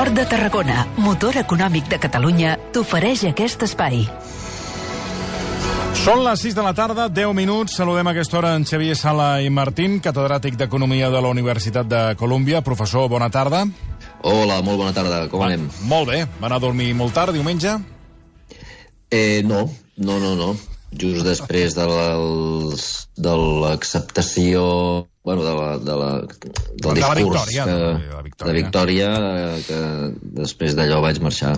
Port de Tarragona, motor econòmic de Catalunya, t'ofereix aquest espai. Són les 6 de la tarda, 10 minuts. Saludem a aquesta hora en Xavier Sala i Martín, catedràtic d'Economia de la Universitat de Colúmbia. Professor, bona tarda. Hola, molt bona tarda. Com anem? Molt bé. Va anar a dormir molt tard, diumenge? No. Just després de l'acceptació, del discurs de Victòria, que després d'allò vaig marxar.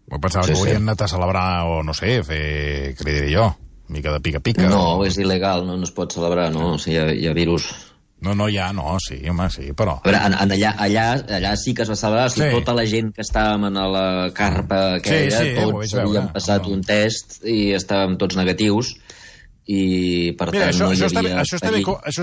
Pensava que haurien anat a celebrar, o no sé, fer, què li diré jo, mica de pica-pica. No, és il·legal, no es pot celebrar, no? O sigui, hi ha virus. Sí, però... A veure, allà sí que es va celebrar, o sigui, tota la gent que estàvem a la carpa aquella, tots havíem passat un test i estàvem tots negatius, i per tant no hi havia... Això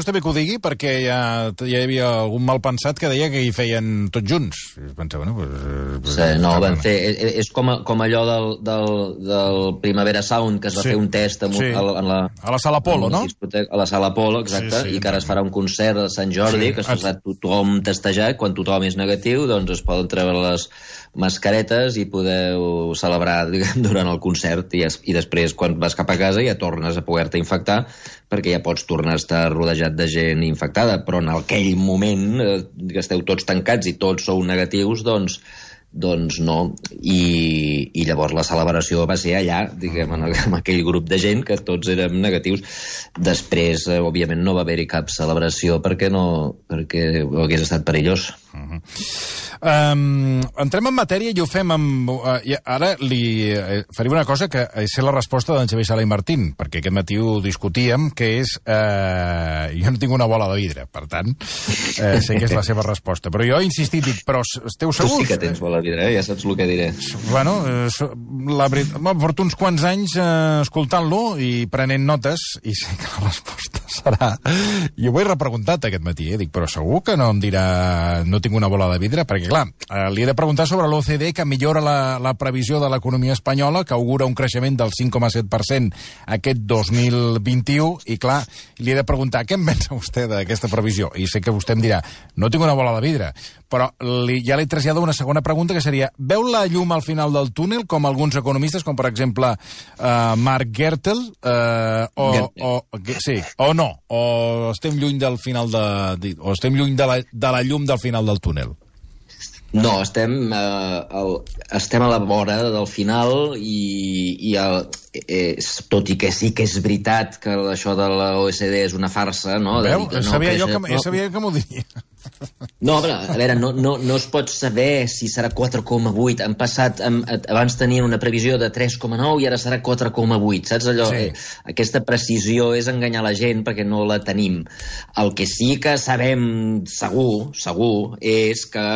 està bé que ho digui, perquè ja hi havia algun malpensat que deia que hi feien tots junts. Pensava, vam fer... És com allò del Primavera Sound, que es va fer un test a la Sala Apolo, no? A la Sala Apolo, exacte, i que ara es farà un concert de Sant Jordi, que s'ha tothom testejat, quan tothom és negatiu, doncs es poden treure les mascaretes i podeu celebrar, diguem, durant el concert, i després, quan vas cap a casa, ja tornes a poder-te infectar, perquè ja pots tornar a estar rodejat de gent infectada, però en aquell moment que esteu tots tancats i tots sou negatius, doncs no. I llavors la celebració va ser allà, diguem, amb aquell grup de gent que tots érem negatius. Després, òbviament, no va haver-hi cap celebració perquè hagués estat perillós. Entrem en matèria i ho fem amb... Ara li faré una cosa que és la resposta d'en Xavier Sala i Martín, perquè aquest matí ho discutíem, que és... Jo no tinc una bola de vidre, per tant, sé que és la seva resposta. Però jo he insistit, dic, però esteu segurs? Tu sí que tens bola de vidre, ja saps el que diré. Bueno, la veritat, porto uns quants anys escoltant-lo i prenent notes, i sé que la resposta serà... Jo ho he repreguntat aquest matí, dic, però segur que no em dirà no tinc una bola de vidre? Perquè, clar, li he de preguntar sobre l'OCDE, que millora la previsió de l'economia espanyola, que augura un creixement del 5,7% aquest 2021, i, clar, li he de preguntar què en pensa vostè d'aquesta previsió? I sé que vostè em dirà, no tinc una bola de vidre, però ja li trasllado una segona pregunta, que seria, veu la llum al final del túnel, com alguns economistes, com per exemple Mark Gertel, o no? O estem lluny del final o estem lluny de la llum del final del túnel? No, estem a la vora del final i tot i que sí que és veritat que això de la OECD és una farsa, no? Veu? Sabia que m'ho diria. No, però, a veure, no es pot saber si serà 4,8. Han passat, abans tenien una previsió de 3,9 i ara serà 4,8. Saps allò? Sí. Aquesta precisió és enganyar la gent perquè no la tenim. El que sí que sabem segur, és que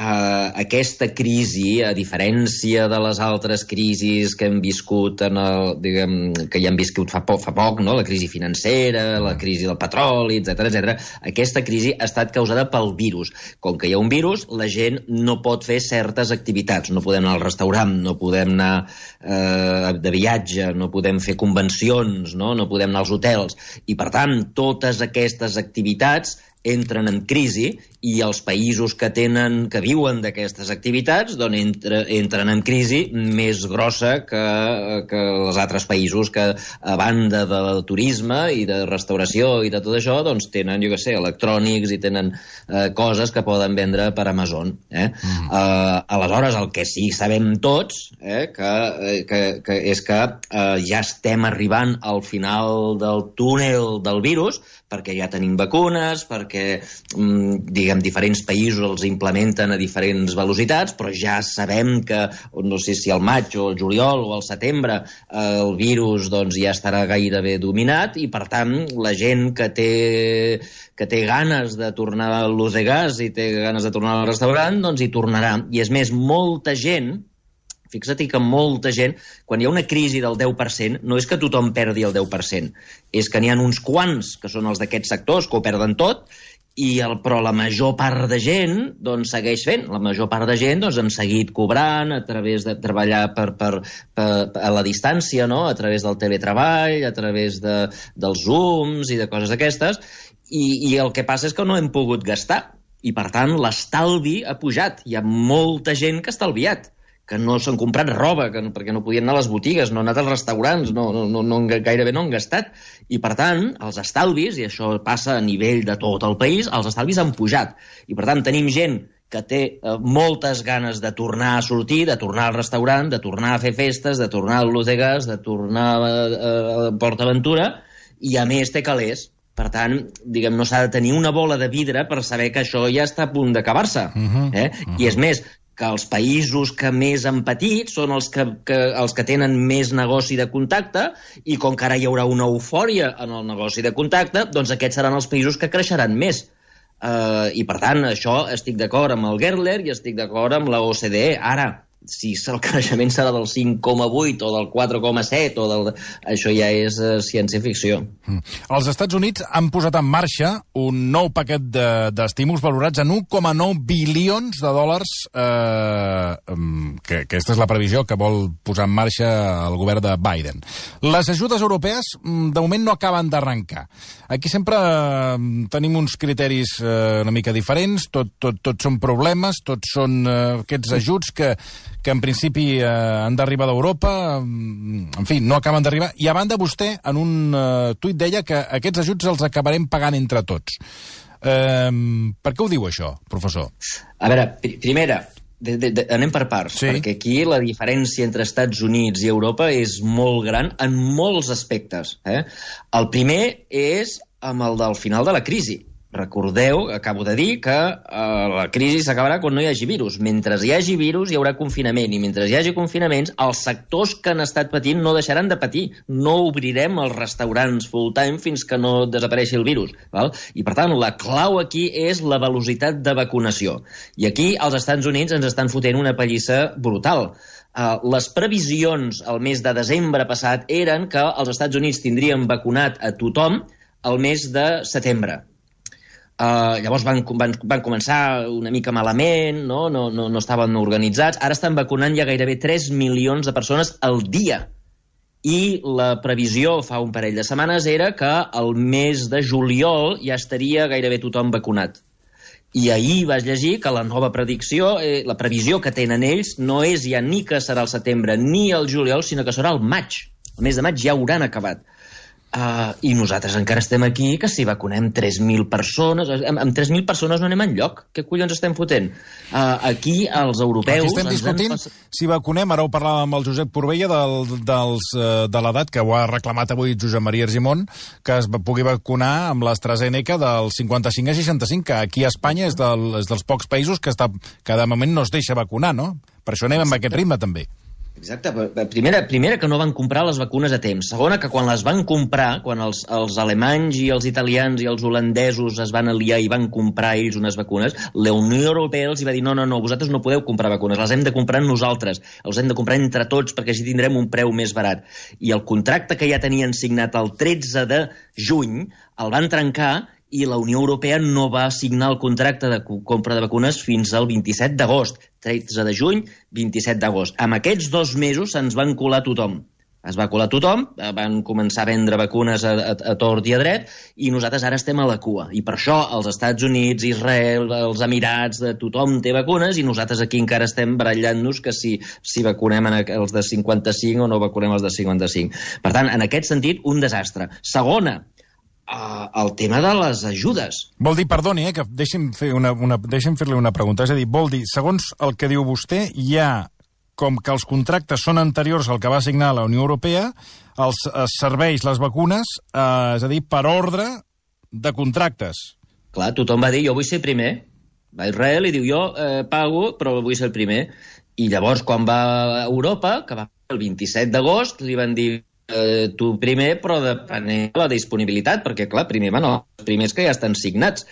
aquesta crisi, a diferència de les altres crisis que hem viscut que ja hem viscut fa poc, no? La crisi financera, la crisi del petroli, etc. Aquesta crisi ha estat causada pel virus. Com que hi ha un virus, la gent no pot fer certes activitats. No podem anar al restaurant, no podem anar de viatge, no podem fer convencions, no podem anar als hotels. I, per tant, totes aquestes activitats entren en crisi i els països que viuen d'aquestes activitats entren en crisi més grossa que els altres països que, a banda del turisme i de restauració i de tot això, doncs tenen, jo què sé, electrònics i tenen coses que poden vendre per Amazon. Aleshores, el que sí sabem tots és que ja estem arribant al final del túnel del virus, perquè ja tenim vacunes, perquè, diguem, diferents països els implementen a diferents velocitats, però ja sabem que, no sé si al maig o al juliol o al setembre, el virus ja estarà gairebé dominat i, per tant, la gent que té ganes de tornar a l'ús de gas i té ganes de tornar al restaurant, doncs hi tornarà. I, és més, molta gent... Fixa't que molta gent, quan hi ha una crisi del 10%, no és que tothom perdi el 10%, és que n'hi ha uns quants, que són els d'aquests sectors, que ho perden tot, però la major part de gent segueix fent. La major part de gent hem seguit cobrant a través de treballar a la distància, no? A través del teletreball, a través dels Zooms i de coses d'aquestes, i el que passa és que no hem pogut gastar. i, per tant, l'estalvi ha pujat. Hi ha molta gent que ha estalviat, que no s'han comprat roba, perquè no podien anar a les botigues, no han anat als restaurants, gairebé no han gastat. I, per tant, els estalvis, i això passa a nivell de tot el país, els estalvis han pujat. I, per tant, tenim gent que té moltes ganes de tornar a sortir, de tornar al restaurant, de tornar a fer festes, de tornar al Ludegas, de tornar a Port Aventura, i a més té calés. Per tant, diguem, no s'ha de tenir una bola de vidre per saber que això ja està a punt d'acabar-se. I és més, que els països que més han patit són els que tenen més negoci de contacte, i com que ara hi haurà una eufòria en el negoci de contacte, doncs aquests seran els països que creixeran més. I, per tant, això estic d'acord amb el Gertler i estic d'acord amb la OCDE. Ara, si el creixement serà del 5,8 o del 4,7, això ja és ciència-ficció. Els Estats Units han posat en marxa un nou paquet d'estímuls valorats en 1,9 bilions de dòlars, que aquesta és la previsió que vol posar en marxa el govern de Biden. Les ajudes europees, de moment, no acaben d'arrencar. Aquí sempre tenim uns criteris una mica diferents, tot són problemes, tots són aquests ajuts que en principi han d'arribar d'Europa, en fi, no acaben d'arribar. I a banda, vostè, en un tuit deia que aquests ajuts els acabarem pagant entre tots. Per què ho diu, això, professor? A veure, primera, anem per parts, perquè aquí la diferència entre Estats Units i Europa és molt gran en molts aspectes. El primer és amb el del final de la crisi. Recordeu, acabo de dir, que la crisi s'acabarà quan no hi hagi virus. Mentre hi hagi virus hi haurà confinament, i mentre hi hagi confinaments, els sectors que han estat patint no deixaran de patir. No obrirem els restaurants full-time fins que no desapareixi el virus. Val? I, per tant, la clau aquí és la velocitat de vacunació. I aquí els Estats Units ens estan fotent una pallissa brutal. Les previsions al mes de desembre passat eren que els Estats Units tindrien vacunat a tothom al mes de setembre. Llavors van començar una mica malament, no estaven organitzats. Ara estan vacunant ja gairebé 3 milions de persones al dia. I la previsió fa un parell de setmanes era que al mes de juliol ja estaria gairebé tothom vacunat. I ahir vaig llegir que la nova predicció, la previsió que tenen ells, no és ja ni que serà el setembre ni el juliol, sinó que serà el maig. El mes de maig ja hauran acabat. I nosaltres encara estem aquí, que si vacunem 3.000 persones... Amb 3.000 persones no anem enlloc. Què collons estem fotent? Aquí els europeus... Aquí estem discutint si vacunem, ara ho parlàvem amb el Josep Purbella, de l'edat, que ho ha reclamat avui Josep Maria Argimon, que es pugui vacunar amb l'AstraZeneca del 55 a 65, que aquí a Espanya és dels pocs països que de moment no es deixa vacunar, no? Per això anem amb aquest ritme, també. Exacte. Primera, que no van comprar les vacunes a temps. Segona, que quan les van comprar, quan els alemanys i els italians i els holandesos es van aliar i van comprar ells unes vacunes, la Unió Europea els va dir no, vosaltres no podeu comprar vacunes, les hem de comprar nosaltres, els hem de comprar entre tots perquè així tindrem un preu més barat. I el contracte que ja tenien signat el 13 de juny el van trencar i la Unió Europea no va signar el contracte de compra de vacunes fins al 27 d'agost. 13 de juny, 27 d'agost. Amb aquests 2 mesos se'ns van colar tothom. Es va colar tothom, van començar a vendre vacunes a tort i a dret, i nosaltres ara estem a la cua. I per això els Estats Units, Israel, els Emirats, tothom té vacunes, i nosaltres aquí encara estem barallant-nos que si vacunem els de 55 o no vacunem els de 55. Per tant, en aquest sentit, un desastre. Segona, el tema de les ajudes. Vol dir, perdoni, que deixi'm fer-li una pregunta. És a dir, vol dir, segons el que diu vostè, hi ha com que els contractes són anteriors al que va signar la Unió Europea, els serveis, les vacunes, és a dir, per ordre de contractes. Clar, tothom va dir, jo vull ser primer. Va a Israel i diu, jo pago, però vull ser el primer. I llavors, quan va a Europa, que va el 27 d'agost, li van dir, tu primer, però depenent de la disponibilitat, perquè, clar, primer van els primers que ja estan signats.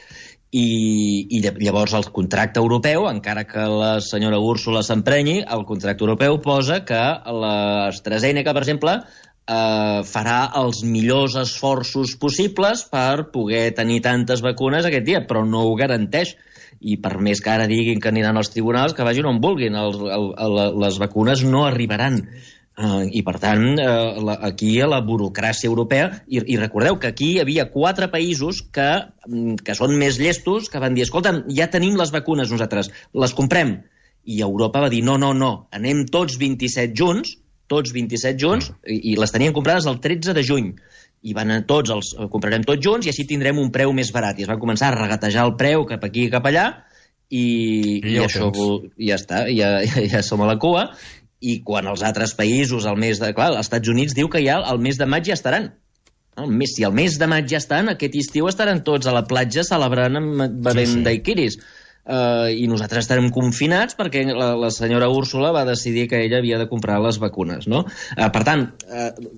I llavors el contracte europeu, encara que la senyora Úrsula s'emprenyi, el contracte europeu posa que l'AstraZeneca, per exemple, farà els millors esforços possibles per poder tenir tantes vacunes aquest dia, però no ho garanteix. I per més que ara diguin que aniran als tribunals, que vagin on vulguin, les vacunes no arribaran. I, per tant, aquí a la burocràcia europea, i recordeu que aquí hi havia 4 països que són més llestos, que van dir, escolta, ja tenim les vacunes nosaltres, les comprem. I Europa va dir, no, anem tots 27 junts, i les tenien comprades el 13 de juny. I van anar tots, els comprarem tots junts i així tindrem un preu més barat. I es van començar a regatejar el preu cap aquí i cap allà, i això ja està, ja som a la cua. I quan els altres països, els Estats Units diu que ja al mes de maig ja estaran. Si al mes de maig ja estan, aquest estiu estaran tots a la platja celebrant bevent daiquiris. I nosaltres estarem confinats perquè la senyora Úrsula va decidir que ella havia de comprar les vacunes, no? Per tant,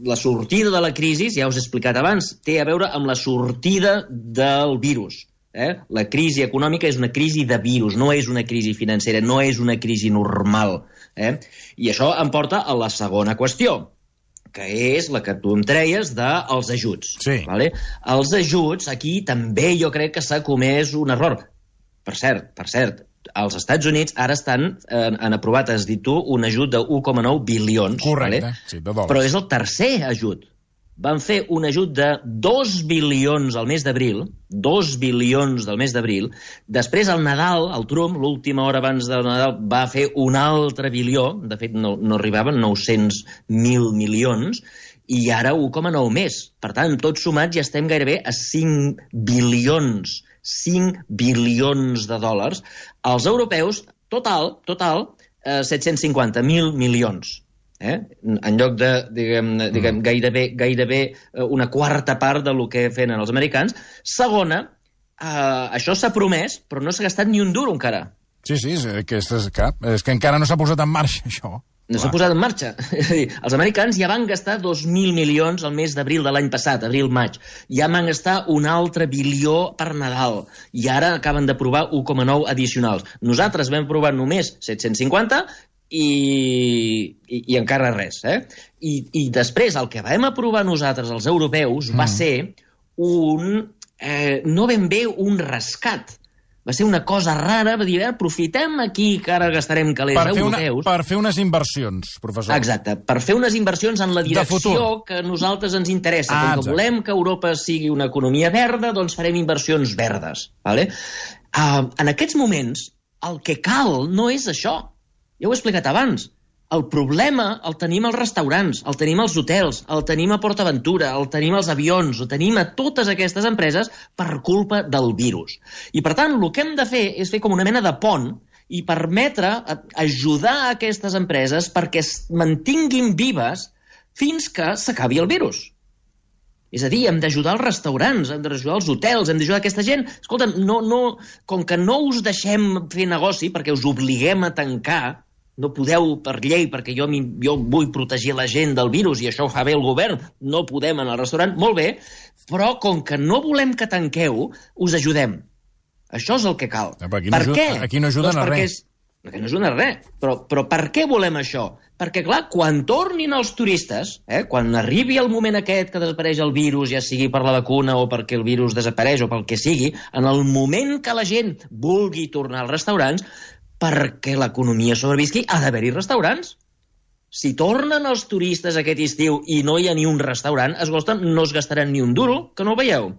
la sortida de la crisi, ja us he explicat abans, té a veure amb la sortida del virus. La crisi econòmica és una crisi de virus, no és una crisi financera, no és una crisi normal. I això em porta a la segona qüestió, que és la que tu em treies dels ajuts. Sí. Vale? Els ajuts, aquí també jo crec que s'ha comès un error. Per cert, els Estats Units ara han aprovat, has dit tu, un ajut de 1,9 bilions. Correcte, vale? sí, de dòlars. Però és el tercer ajut. Van fer un ajut de 2 bilions al mes d'abril, 2 bilions del mes d'abril. Després, al Nadal, el Trump, l'última hora abans del Nadal, va fer un altre bilió, de fet no arribaven 900.000 milions, i ara 1,9 més. Per tant, tots sumats ja estem gairebé a 5 bilions. 5 bilions de dòlars. Els europeus, total, 750.000 milions. En lloc de, diguem gairebé una quarta part del que feien els americans. Segona, això s'ha promès, però no s'ha gastat ni un duro encara. Sí, és que encara no s'ha posat en marxa, això. No s'ha posat en marxa. És a dir, els americans ja van gastar 2.000 milions al mes d'abril de l'any passat, abril-maig. Ja van gastar un altre bilió per Nadal. I ara acaben d'aprovar 1,9 addicionals. Nosaltres vam aprovar només 750 i encara res. I després el que vam aprovar nosaltres, els europeus, va ser no ben bé un rescat. Va ser una cosa rara, va dir, aprofitem aquí que ara gastarem calés europeus. Per fer unes inversions, professor. Exacte, per fer unes inversions en la direcció que a nosaltres ens interessa. Com que volem que Europa sigui una economia verda, doncs farem inversions verdes. Vale? En aquests moments, el que cal no és això. Ja ho he explicat abans. El problema el tenim als restaurants, el tenim als hotels, el tenim a PortAventura, el tenim als avions, el tenim a totes aquestes empreses per culpa del virus. I, per tant, el que hem de fer és fer com una mena de pont i permetre ajudar a aquestes empreses perquè es mantinguin vives fins que s'acabi el virus. És a dir, hem d'ajudar els restaurants, hem d'ajudar els hotels, hem d'ajudar aquesta gent. Escolta, com que no us deixem fer negoci perquè us obliguem a tancar, no podeu per llei, perquè jo vull protegir la gent del virus i això ho fa bé el govern, no podem anar al restaurant, molt bé, però com que no volem que tanqueu, us ajudem. Això és el que cal. Per què? Aquí no ajuden a res. Perquè no ajuden a res. Però per què volem això? Perquè, clar, quan tornin els turistes, quan arribi el moment aquest que desapareix el virus, ja sigui per la vacuna o perquè el virus desapareix o pel que sigui, en el moment que la gent vulgui tornar als restaurants, perquè l'economia sobrevisqui, ha d'haver-hi restaurants. Si tornen els turistes aquest estiu i no hi ha ni un restaurant, no es gastaran ni un duro, que no ho veieu.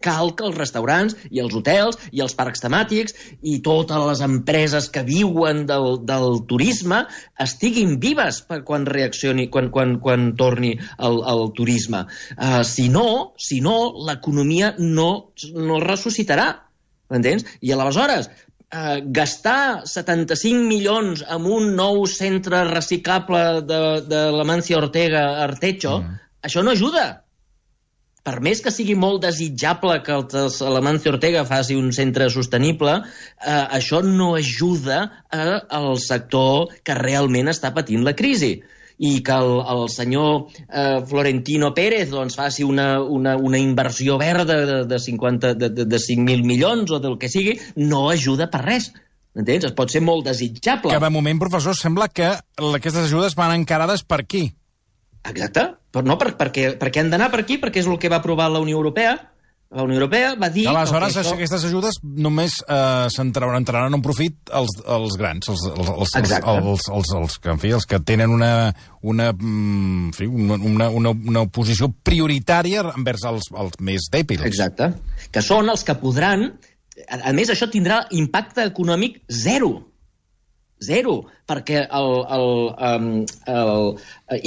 Cal que els restaurants i els hotels i els parcs temàtics i totes les empreses que viuen del turisme estiguin vives quan reaccioni, quan torni el turisme. Si no, l'economia no ressuscitarà. M'entens? I aleshores, gastar 75 milions en un nou centre reciclable de l'Amancio Ortega a Artecho, això no ajuda. Per més que sigui molt desitjable que l'Amancio Ortega faci un centre sostenible, això no ajuda al sector que realment està patint la crisi. I que el senyor Florentino Pérez faci una inversió verda de 5.000 milions o del que sigui, no ajuda per res. Entens? Es pot ser molt desitjable. Que de moment, professor, sembla que aquestes ajudes van encarades per aquí. Exacte. Però no, perquè han d'anar per aquí, perquè és el que va aprovar la Unió Europea. La Unió Europea va dir... Aleshores, aquestes ajudes només entraran en profit els grans, els que tenen una posició prioritària envers els més dèbils. Exacte. Que són els que podran... A més, això tindrà impacte econòmic zero, perquè el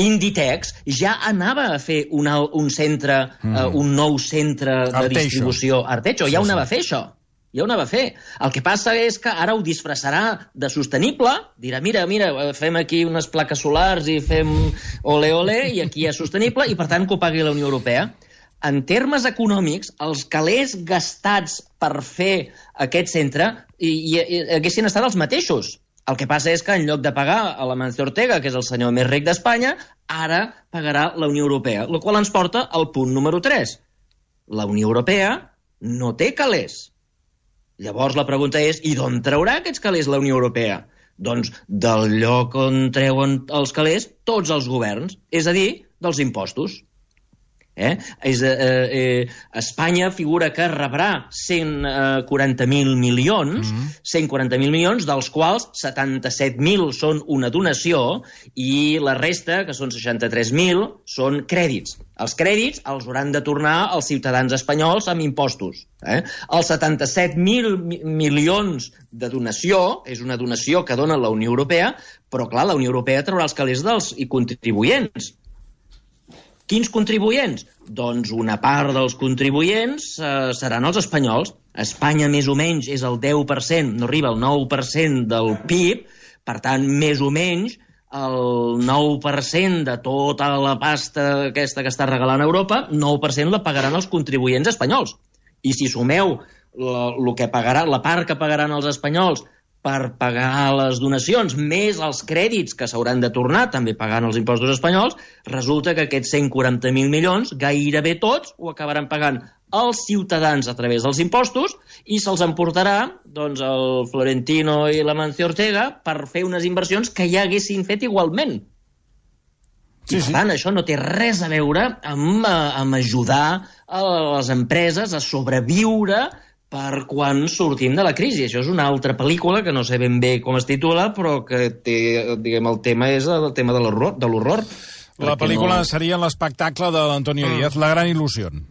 Inditex ja anava a fer un centre, un nou centre de distribució Arteixo, ja ho anava a fer, això. Ja ho anava a fer. El que passa és que ara ho disfressarà de sostenible, dirà, mira, fem aquí unes plaques solars i fem ole, i aquí és sostenible, i per tant que ho pagui la Unió Europea. En termes econòmics, els calés gastats per fer aquest centre haguessin estat els mateixos. El que passa és que en lloc de pagar a l'Amancio Ortega, que és el senyor més ric d'Espanya, ara pagarà la Unió Europea, el qual ens porta al punt número 3. La Unió Europea no té calés. Llavors la pregunta és, i d'on traurà aquests calés la Unió Europea? Doncs del lloc on treuen els calés tots els governs, és a dir, dels impostos. Espanya figura que rebrà 140.000 milions, 140.000 milions, dels quals 77.000 són una donació i la resta, que són 63.000, són crèdits. Els crèdits els hauran de tornar als ciutadans espanyols amb impostos. Els 77.000 milions de donació és una donació que dona la Unió Europea, però clar, la Unió Europea traurà els calés dels contribuents. Quins contribuents? Doncs una part dels contribuents seran els espanyols. Espanya, més o menys, és el 10%, no arriba al 9% del PIB, per tant, més o menys, el 9% de tota la pasta aquesta que està regalant Europa, 9% la pagaran els contribuents espanyols. I si sumeu la part que pagaran els espanyols per pagar les donacions, més els crèdits que s'hauran de tornar, també pagant els impostos espanyols, resulta que aquests 140.000 milions, gairebé tots, ho acabaran pagant els ciutadans a través dels impostos i se'ls emportarà doncs, el Florentino i l'Amancio Ortega per fer unes inversions que ja haguessin fet igualment. I, per tant, això no té res a veure amb ajudar a les empreses a sobreviure per quan sortim de la crisi. Això és una altra pel·lícula que no sé ben bé com es titula, però que té, diguem, el tema és el tema de l'horror. La pel·lícula seria l'espectacle de l'Antonio Díaz, La gran il·lusión.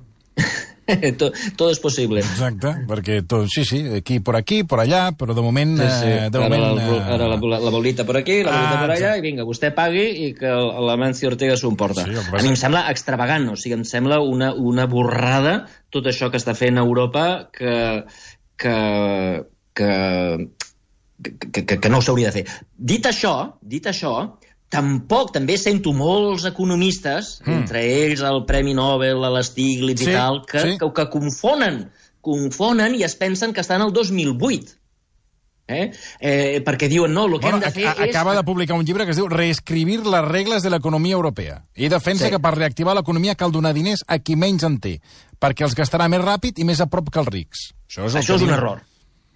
Todo es posible. Exacte, perquè tot, aquí, por allà, però de moment... Ara la bolita por aquí, la bolita por allà, i vinga, vostè pagui i que l'Amancio Ortega s'ho emporta. A mi em sembla extravagant, o sigui, em sembla una borrada tot això que està fent Europa que no s'hauria de fer. Dit això, tampoc, també sento molts economistes, entre ells el Premi Nobel, l'Stiglitz i tal, que confonen i es pensen que estan al 2008. Perquè diuen, no, el que hem de fer és... Acaba de publicar un llibre que es diu Reescribir les regles de l'economia europea. I defensa que per reactivar l'economia cal donar diners a qui menys en té, perquè els gastarà més ràpid i més a prop que els rics. Això és un error.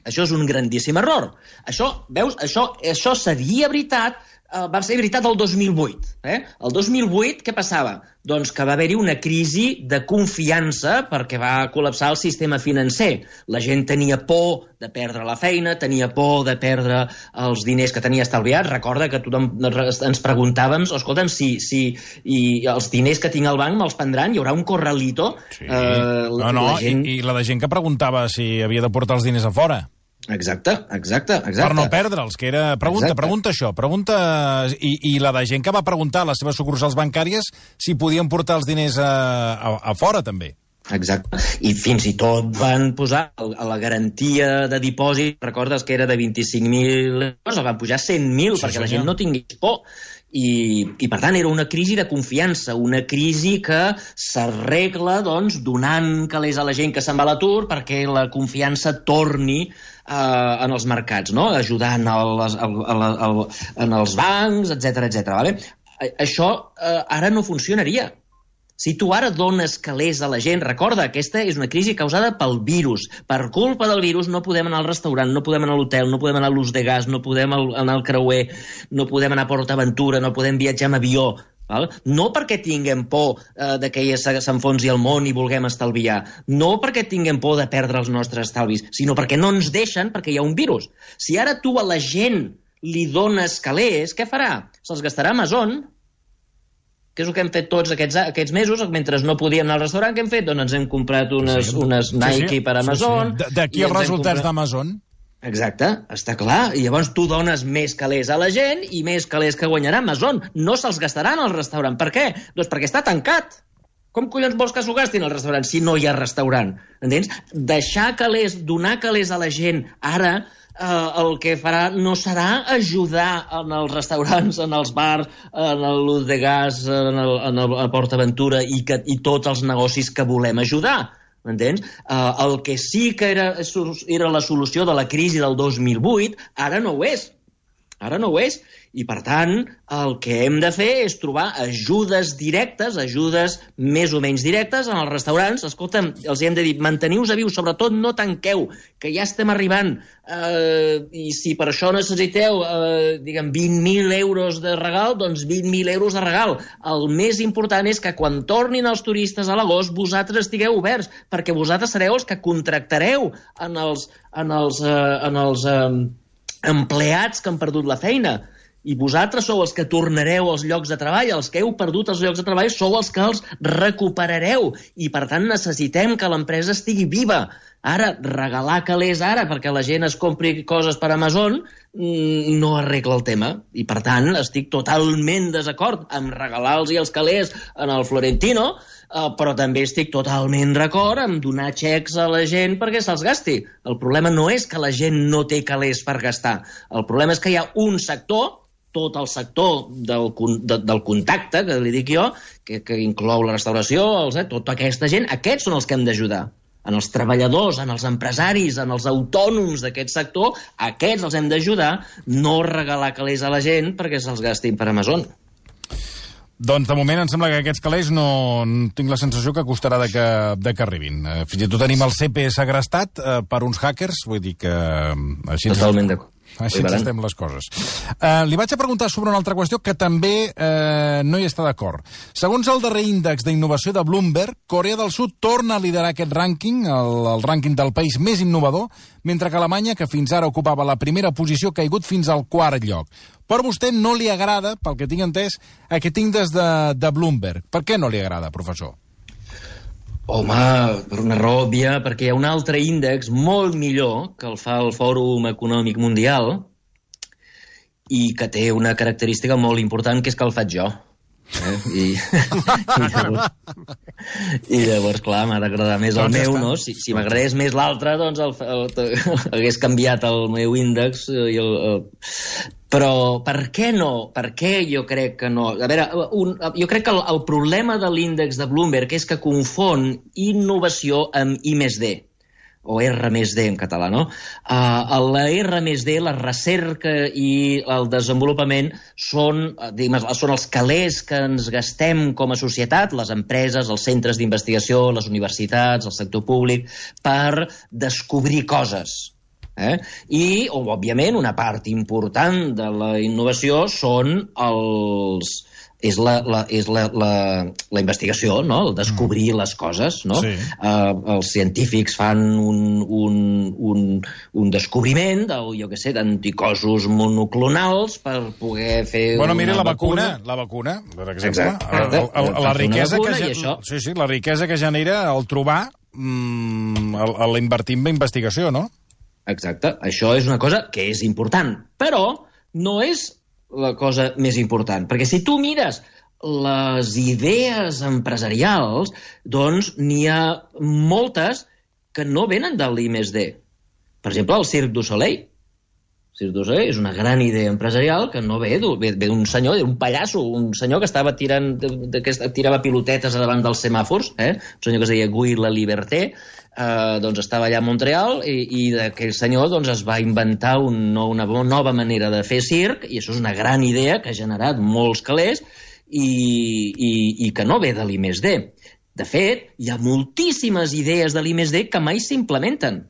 Això és un grandíssim error. Això, veus, això seria veritat... Va ser veritat el 2008. El 2008, què passava? Doncs que va haver-hi una crisi de confiança perquè va col·lapsar el sistema financer. La gent tenia por de perdre la feina, tenia por de perdre els diners que tenia estalviats. Recorda que tothom ens preguntàvem, escolta'm, si els diners que tinc al banc me'ls prendran, hi haurà un corralito. Sí. I la de gent que preguntava si havia de portar els diners a fora. Exacte. Per no perdre'ls, que era... Pregunta això, i la de gent que va preguntar a les seves sucursals bancàries si podien portar els diners a fora, també. Exacte. I fins i tot van posar a la garantia de dipòsit, recordes que era de 25.000 euros, el van pujar a 100.000 perquè la gent no tingués por. I per tant era una crisi de confiança, una crisi que s'arregla doncs, donant calés a la gent que se'n va a l'atur perquè la confiança torni en els mercats, no? Ajudant en els bancs, etc. Vale? Això ara no funcionaria. Si tu ara dones calés a la gent, recorda, aquesta és una crisi causada pel virus. Per culpa del virus no podem anar al restaurant, no podem anar a l'hotel, no podem anar a l'ús de gas, no podem anar al creuer, no podem anar a PortAventura, no podem viatjar amb avió. Val? No perquè tinguem por de que s'enfonsi el món i vulguem estalviar, no perquè tinguem por de perdre els nostres estalvis, sinó perquè no ens deixen, perquè hi ha un virus. Si ara tu a la gent li dones calés, què farà? Se'ls gastarà a Amazon, que és el que hem fet tots aquests mesos, mentre no podíem anar al restaurant, què hem fet? Doncs ens hem comprat unes Nike per Amazon. D'aquí els resultats d'Amazon. Exacte, està clar. I llavors tu dones més calés a la gent i més calés que guanyarà Amazon. No se'ls gastaran al restaurant. Per què? Doncs perquè està tancat. Com collons vols que s'ho gastin al restaurant si no hi ha restaurant? Entens? Deixar calés, donar calés a la gent ara el que farà no serà ajudar en els restaurants, en els bars, en l'ús de gas, en el PortAventura i tots els negocis que volem ajudar. M'entens? El que sí que era la solució de la crisi del 2008, ara no ho és. Ara no ho és. I, per tant, el que hem de fer és trobar ajudes directes, ajudes més o menys directes en els restaurants. Escolta'm, els hem de dir, manteniu-vos a viu, sobretot no tanqueu, que ja estem arribant. I si per això necessiteu, 20.000 euros de regal, doncs 20.000 euros de regal. El més important és que quan tornin els turistes a l'agost, vosaltres estigueu oberts, perquè vosaltres sereu els que contractareu en els empleats que han perdut la feina. I vosaltres sou els que tornareu als llocs de treball, els que heu perdut els llocs de treball sou els que els recuperareu i per tant necessitem que l'empresa estigui viva. Ara, regalar calés ara perquè la gent es compri coses per Amazon no arregla el tema i per tant estic totalment desacord amb regalar-los els calés en el Florentino, però també estic totalment d'acord amb donar xecs a la gent perquè se'ls gasti. El problema no és que la gent no té calés per gastar, el problema és que hi ha un sector, tot el sector del contacte, que li dic jo, que inclou la restauració, tota aquesta gent, aquests són els que hem d'ajudar. En els treballadors, en els empresaris, en els autònoms d'aquest sector, aquests els hem d'ajudar, no regalar calés a la gent perquè se'ls gastin per Amazon. Doncs de moment em sembla que aquests calés no tinc la sensació que costarà de que arribin. Fins i tot tenim el CP segrestat per uns hackers, vull dir que... Totalment d'acord. Així ens estem les coses. Li vaig a preguntar sobre una altra qüestió que també no hi està d'acord. Segons el darrer índex d'innovació de Bloomberg, Corea del Sud torna a liderar aquest rànquing, el rànquing del país més innovador, mentre que Alemanya, que fins ara ocupava la primera posició, ha caigut fins al quart lloc. Però a vostè no li agrada, pel que tinc entès, aquest índex de Bloomberg. Per què no li agrada, professor? Home, per una raó òbvia, perquè hi ha un altre índex molt millor que el fa el Fòrum Econòmic Mundial i que té una característica molt important, que és que el faig jo. I llavors, clar, m'ha d'agradar més el meu, no? Si m'agradés més l'altre, doncs hagués canviat el meu índex. Però per què no? Per què jo crec que no? A veure, jo crec que el problema de l'índex de Bloomberg és que confon innovació amb I+D, o R+D en català, no? La R+D, la recerca i el desenvolupament són els calés que ens gastem com a societat, les empreses, els centres d'investigació, les universitats, el sector públic, per descobrir coses. I, òbviament, una part important de la innovació és la investigació, no? El descobrir les coses, no? Sí. Els científics fan un descobriment d'anticossos monoclonals per poder fer la vacuna, per exemple. La riquesa que genera el trobar l'invertir en investigació, no? Exacte, això és una cosa que és important, però no és la cosa més important, perquè si tu mires les idees empresarials, doncs n'hi ha moltes que no venen de l'I+D. Per exemple, el Cirque du Soleil. El Cirque du Soleil és una gran idea empresarial que no ve d'un senyor, un pallasso, un senyor que estava tirava pilotetes davant dels semàfors, un senyor que es deia Guy Laliberté, doncs estava allà a Montreal i aquell senyor doncs es va inventar una nova manera de fer circ i això és una gran idea que ha generat molts calés i que no ve de l'I+D. De fet, hi ha moltíssimes idees de l'I+D que mai s'implementen.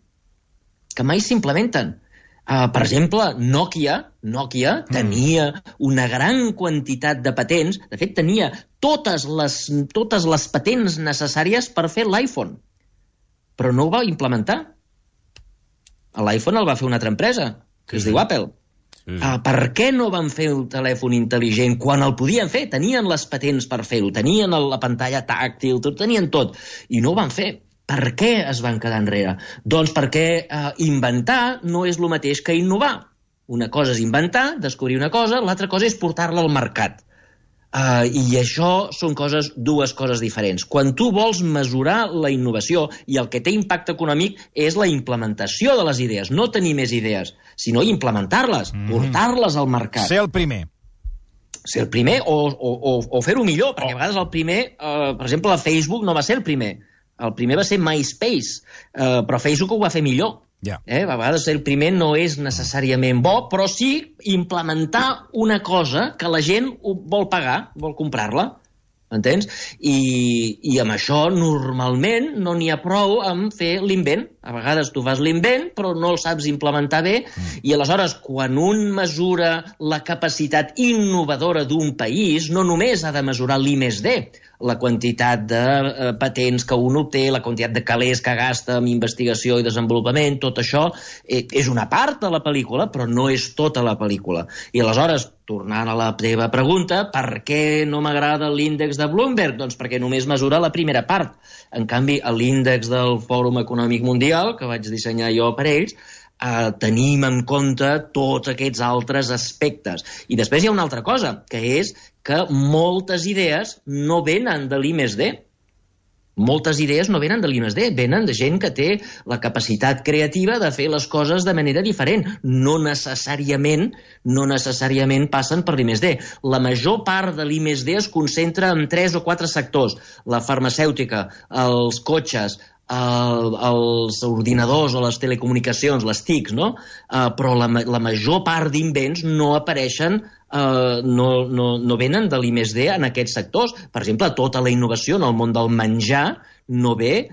Per exemple, Nokia tenia una gran quantitat de patents, de fet tenia totes les patents necessàries per fer l'iPhone, però no ho va implementar. L'iPhone el va fer una altra empresa, que es diu Apple. Per què no van fer el telèfon intel·ligent quan el podien fer? Tenien les patents per fer-ho, tenien la pantalla tàctil, tenien tot, i no ho van fer. Per què es van quedar enrere? Doncs perquè inventar no és el mateix que innovar. Una cosa és inventar, descobrir una cosa, l'altra cosa és portar-la al mercat. I això són dues coses diferents. Quan tu vols mesurar la innovació i el que té impacte econòmic és la implementació de les idees, no tenir més idees, sinó implementar-les, portar-les al mercat. Ser el primer. Ser el primer o fer-ho millor, perquè a vegades el primer, per exemple, Facebook no va ser el primer. El primer va ser MySpace, però Facebook ho va fer millor. A vegades el primer no és necessàriament bo, però sí implementar una cosa que la gent vol pagar, vol comprar-la. Entens? I amb això normalment no n'hi ha prou amb fer l'invent. A vegades tu fas l'invent però no el saps implementar bé i aleshores quan un mesura la capacitat innovadora d'un país no només ha de mesurar l'I+D, la quantitat de patents que un obté, la quantitat de calés que gasta en investigació i desenvolupament, tot això és una part de la pel·lícula, però no és tota la pel·lícula. I aleshores, tornant a la teva pregunta, per què no m'agrada l'índex de Bloomberg? Doncs perquè només mesura la primera part. En canvi, a l'índex del Fòrum Econòmic Mundial, que vaig dissenyar jo per ells, tenim en compte tots aquests altres aspectes. I després hi ha una altra cosa, que és que moltes idees no venen de l'I+D. Moltes idees no venen de l'I+D, venen de gent que té la capacitat creativa de fer les coses de manera diferent. No necessàriament passen per l'I+D. La major part de l'I+D es concentra en 3 o 4 sectors. La farmacèutica, els cotxes, els ordinadors o les telecomunicacions, les TICs, no? Però la major part d'invents no apareixen, no venen de l'I+D en aquests sectors. Per exemple, tota la innovació en el món del menjar no ve,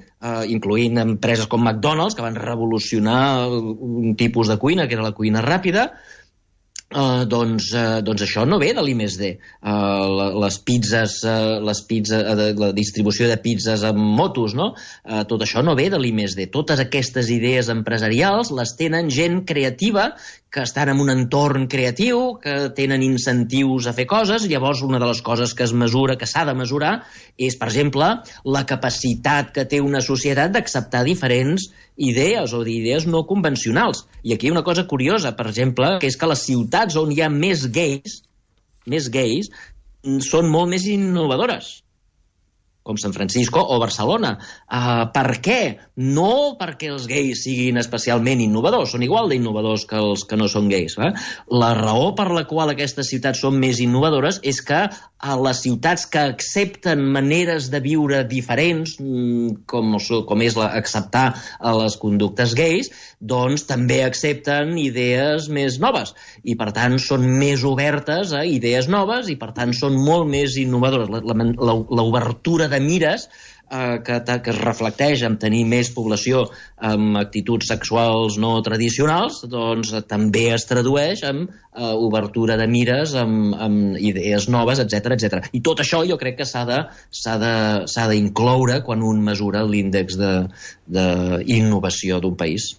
incloent empreses com McDonald's, que van revolucionar un tipus de cuina, que era la cuina ràpida. Doncs això no ve de l'I+D. Les pizzas, la distribució de pizzas amb motos, no? Tot això no ve de l'I+D. Totes aquestes idees empresarials les tenen gent creativa que estan en un entorn creatiu, que tenen incentius a fer coses. Llavors, una de les coses que es mesura, que s'ha de mesurar, és, per exemple, la capacitat que té una societat d'acceptar diferents idees o d'idees no convencionals. I aquí hi ha una cosa curiosa, per exemple, que és que les ciutats on hi ha més gais, són molt més innovadores, com San Francisco o Barcelona. Per què? No perquè els gais siguin especialment innovadors, són igual d'innovadors que els que no són gais. La raó per la qual aquestes ciutats són més innovadores és que a les ciutats que accepten maneres de viure diferents, com és acceptar les conductes gais, doncs també accepten idees més noves i per tant són més obertes a idees noves i per tant són molt més innovadores. L'obertura de mires que es reflecteix en tenir més població amb actituds sexuals no tradicionals, doncs també es tradueix en obertura de mires amb idees noves, etc. I tot això jo crec que s'ha d'incloure quan un mesura l'índex d'innovació d'un país.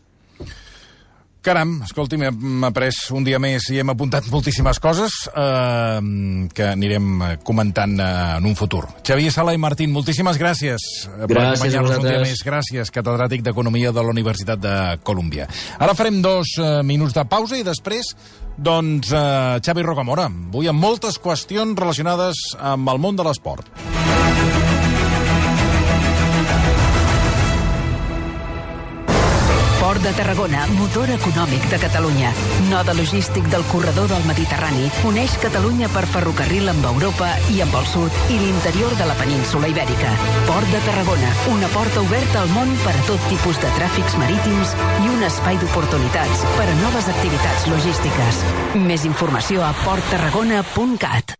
Caram, escolti'm, hem après un dia més i hem apuntat moltíssimes coses que anirem comentant en un futur. Xavier Sala i Martín, moltíssimes gràcies per acompanyar-nos un dia més. Gràcies, catedràtic d'Economia de la Universitat de Colúmbia. Ara farem 2 minuts de pausa i després, doncs, Xavi Rocamora. Avui amb moltes qüestions relacionades amb el món de l'esport. Port de Tarragona, motor econòmic de Catalunya. Node logístic del corredor del Mediterrani, uneix Catalunya per ferrocarril amb Europa i amb el sud i l'interior de la península Ibèrica. Port de Tarragona, una porta oberta al món per a tot tipus de tràfics marítims i un espai d'oportunitats per a noves activitats logístiques. Més informació a porttarragona.cat.